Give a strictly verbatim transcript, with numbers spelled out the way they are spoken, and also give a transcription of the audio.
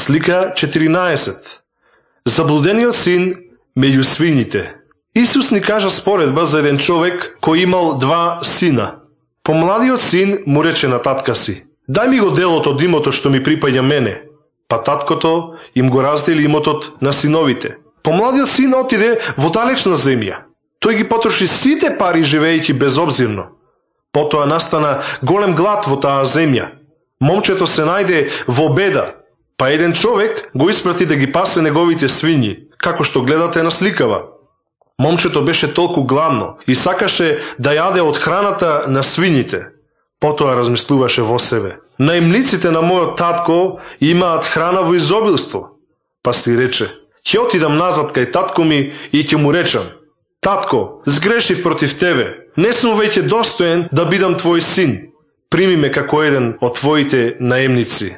Слика четиринаесет. Заблудениот син меѓу свињите. Исус ни кажа споредба за еден човек кој имал два сина. Помладиот син му рече на татка си: "Дај ми го делот од имотот што ми припаѓа мене." Па таткото им го раздели имотот на синовите. Помладиот син отиде во далечна земја. Тој ги потроши сите пари живеејќи безобзирно. Потоа настана голем глад во таа земја. Момчето се најде во беда, па еден човек го испрати да ги пасе неговите свињи, како што гледате на сликава. Момчето беше толку гладно и сакаше да јаде од храната на свињите. Потоа размислуваше во себе: наемниците на мојот татко имаат храна во изобилство. Па си рече: ќе отидам назад кај татко ми и ќе му речам: татко, сгрешив против тебе, не сум веќе достоен да бидам твој син. Прими ме како еден од твоите наемници.